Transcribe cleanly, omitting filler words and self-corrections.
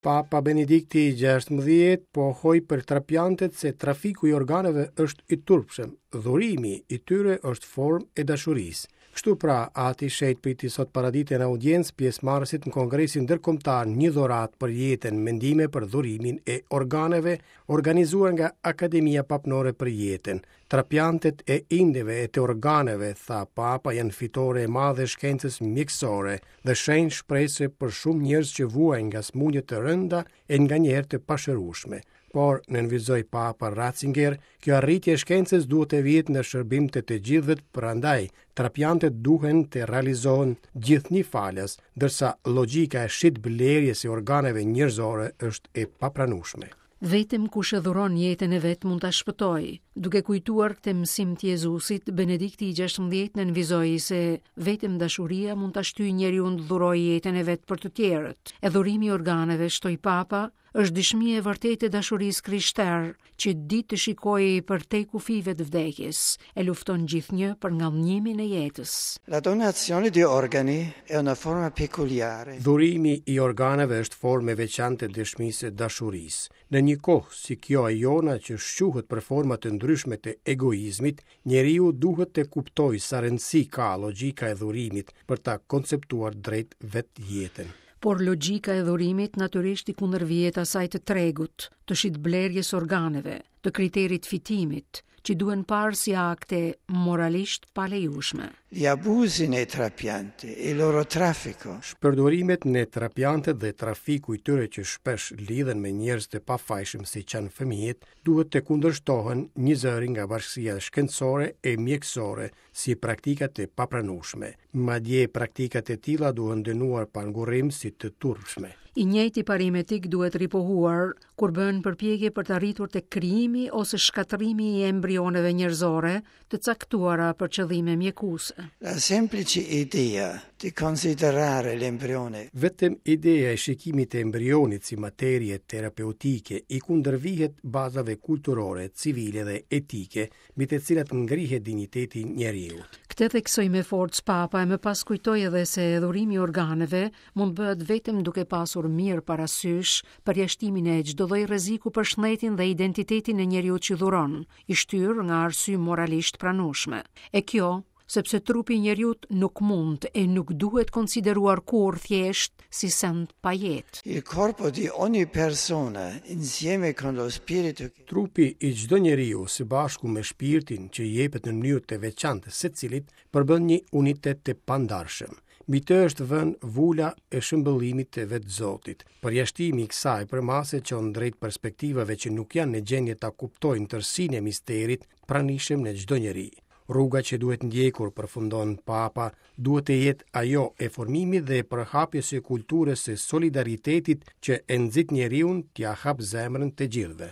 Papa Benedikti i XVI pohoi për trapiantet se trafiku i organeve është i turpshëm, dhurimi i tyre është formë e dashurisë. Kështu pra, Ati i Shenjtë priti sot paradite në audiencë pjesëmarrësit në Kongresin Ndërkombëtar Një dhuratë për jetën, mendime për dhurimin e organeve, organizuar nga Akademia Papnore për Jetën. Trapiantet e indeve e të organeve, tha Papa, janë fitore e madhe e shkencës mjekësore dhe shenjë shprese për shumë njerëz që vuajnë nga sëmundje të rënda e nganjëherë të pashërueshme. Por, nënvizoi Papa Ratzinger, kjo arritje e shkencës duhet të vihet në shërbim të të gjithëve, prandaj trapiantet duhen të realizohen gjithnjë falas, ndërsa logjika e shitblerjes së organeve njerëzore është e papranueshme. Vetëm kush e dhuron jetën e vet mund ta shpëtojë. Duke kujtuar këtë mësim të Jezusit, Benedikti i XVI nënvizoi se vetëm dashuria mund ta shtyjë njeriun të dhurojë jetën e vet për të tjerët. E dhurimi i organeve, shtoi Papa, është dëshmi e vërtetë e dashurisë krishterë, që di të shikojë përtej kufijve të vdekjes, e lufton gjithnjë për ngadhënjimin e jetës. La donazione di organi è una forma peculiare. Dhurimi i organeve është formë e veçantë e dëshmisë së dashurisë. Në një kohë si kjo e jona që shquhet për forma të ndryshme të egoizmit, njeriu duhet të kuptojë sa rëndësi ka logjika e dhurimit për ta konceptuar drejt vetë jetën. Por logjika e dhurimit natyrisht i kundërvihet asaj të tregut, të shitblerjes organeve, të kriterit fitimit, që duhen parë si akte moralisht palejueshme. Gli abusi nei trapianti, il loro traffico. Shpërdorimet në trapiantet dhe trafiku i tyre që shpesh lidhen me njerëz të pafajshëm siç janë fëmijët, duhet të kundërshtohen njëzëri nga bashkësia shkencore e mjekësore si praktika të papranueshme. Madje praktikat e tilla duhen dënuar pa ngurrim si të turpshme. I njëjti parim etik duhet ripohuar kur bëhen përpjekje për të arritur tek krijimi ose shkatërrimi i embrioneve njerëzore të caktuara për qëllime mjekuese. La semplice idea di considerare l'embrione. Vetëm ideja e shikimit të embrionit si materie terapeutike i kundërvihet bazave kulturore, civile dhe etike mbi të cilat ngrihet dinjiteti i njeriut. Këtë theksoi me forcë Papa e më pas kujtoi edhe se dhurimi i organeve mund të bëhet vetëm duke pasur mirë parasysh përjashtimin e çdo lloj rreziku për shëndetin dhe identitetin e njeriut që dhuron, i shtyrë nga arsye moralisht pranueshme. E kjo sepse trupi i njeriut nuk mund e nuk duhet konsideruar kurrë thjesht si send pa jetë. Il corpo di ogni persona insieme con lo spirito che. Trupi i çdo njeriu së bashku me shpirtin që i jepet në mënyrë të veçantë secilit, përbën një unitet të pandarshëm. Mbi të është vënë vula e shëmbëllimit të vetë Zotit. Përjashtimi i kësaj përmase çon drejt perspektivave që nuk janë në gjendje ta kuptojnë tërësinë e misterit pranishëm në çdo njeri. Rruga që duhet ndjekur, përfundon Papa, duhet të jetë ajo e formimit dhe përhapjes së kulturës së solidaritetit që e nxit njeriun t'ia hapë zemrën të gjithëve.